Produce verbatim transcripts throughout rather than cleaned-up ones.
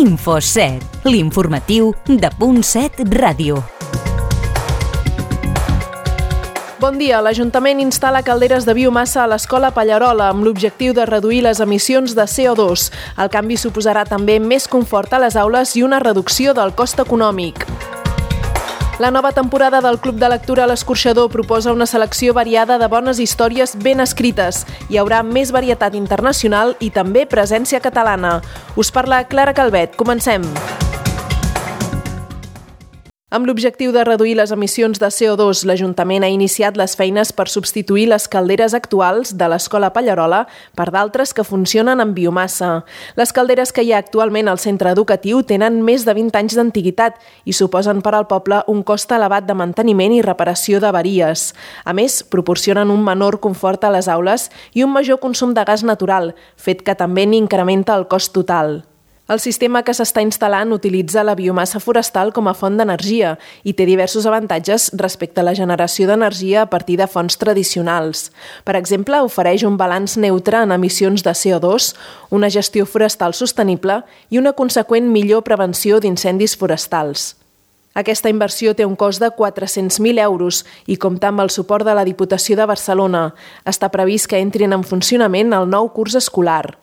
Info set, l'informatiu de Punt set Ràdio. Bon dia. L'Ajuntament instal·la calderes de biomassa a l'Escola Pallarola amb l'objectiu de reduir les emissions de C O dos. El canvi suposarà també més confort a les aules i una reducció del cost econòmic. La nova temporada del Club de Lectura a l'Escorxador proposa una selecció variada de bones històries ben escrites. Hi haurà més varietat internacional i també presència catalana. Us parla Clara Calvet. Comencem. Amb l'objectiu de reduir les emissions de C O dos, l'Ajuntament ha iniciat les feines per substituir les calderes actuals de l'Escola Pallarola per d'altres que funcionen amb biomassa. Les calderes que hi ha actualment al centre educatiu tenen més de vint anys d'antiguitat i suposen per al poble un cost elevat de manteniment i reparació d'avaries. A més, proporcionen un menor confort a les aules i un major consum de gas natural, fet que també n'incrementa el cost total. El sistema que s'està instal·lant utilitza la biomassa forestal com a font d'energia i té diversos avantatges respecte a la generació d'energia a partir de fonts tradicionals. Per exemple, ofereix un balanç neutre en emissions de C O dos, una gestió forestal sostenible i una conseqüent millor prevenció d'incendis forestals. Aquesta inversió té un cost de quatre-cents mil euros i compta amb el suport de la Diputació de Barcelona. Està previst que entrin en funcionament el nou curs escolar.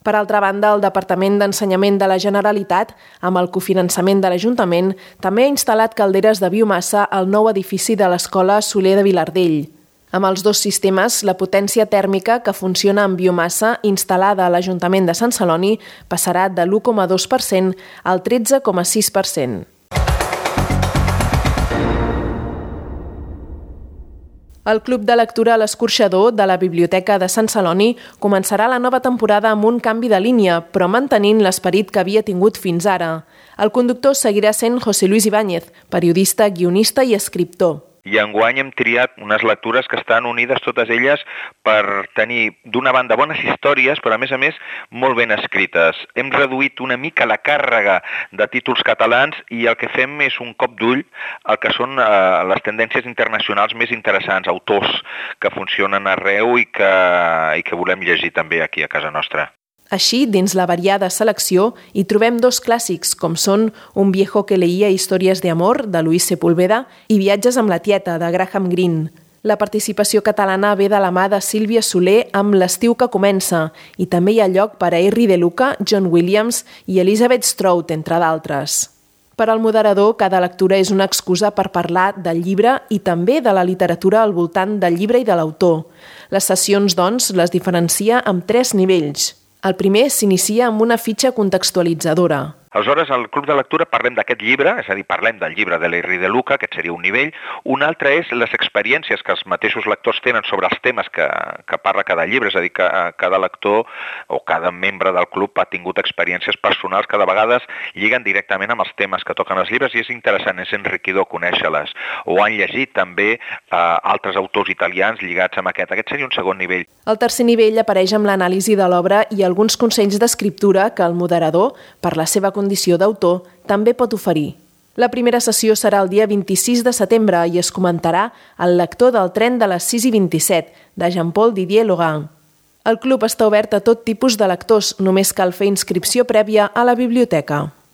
Per altra banda, el Departament d'Ensenyament de la Generalitat, amb el cofinançament de l'Ajuntament, també ha instal·lat calderes de biomassa al nou edifici de l'Escola Soler de Vilardell. Amb els dos sistemes, la potència tèrmica que funciona amb biomassa instal·lada a l'Ajuntament de Sant Celoni passarà de l'u coma dos per cent al tretze coma sis per cent. El Club de Lectura a l'Escorxador de la Biblioteca de Sant Celoni començarà la nova temporada amb un canvi de línia, però mantenint l'esperit que havia tingut fins ara. El conductor seguirà sent José Luis Ibáñez, periodista, guionista i escriptor. I enguany hem triat unes lectures que estan unides totes elles per tenir, d'una banda, bones històries, però a més a més molt ben escrites. Hem reduït una mica la càrrega de títols catalans i el que fem és un cop d'ull al que són eh, les tendències internacionals més interessants, autors que funcionen arreu i que, i que volem llegir també aquí a casa nostra. Així, dins la variada selecció, hi trobem dos clàssics, com són Un viejo que leía historias de amor, de Luis Sepúlveda, i Viatges amb la tieta, de Graham Greene. La participació catalana ve de la mà de Sílvia Soler amb L'estiu que comença, i també hi ha lloc per a Henry de Luca, John Williams i Elizabeth Strout, entre d'altres. Per al moderador, cada lectura és una excusa per parlar del llibre i també de la literatura al voltant del llibre i de l'autor. Les sessions, doncs, les diferencia amb tres nivells. El primer s'inicia amb una fitxa contextualitzadora. Aleshores, al Club de Lectura parlem d'aquest llibre, és a dir, parlem del llibre de l'Henry de Luca, aquest seria un nivell. Un altre és les experiències que els mateixos lectors tenen sobre els temes que, que parla cada llibre, és a dir, que cada lector o cada membre del club ha tingut experiències personals que de vegades lliguen directament amb els temes que toquen els llibres i és interessant, és enriquidor conèixer-les. O han llegit també eh, altres autors italians lligats amb aquest. Aquest seria un segon nivell. El tercer nivell apareix amb l'anàlisi de l'obra i alguns consells d'escriptura que el moderador, per la seva condició d'autor, també pot oferir. La primera sessió serà el dia vint-i-sis de setembre i es comentarà El lector del tren de les sis i vint-i-set, de Jean-Paul Didier Logan. El club està obert a tot tipus de lectors, només cal fer inscripció prèvia a la biblioteca.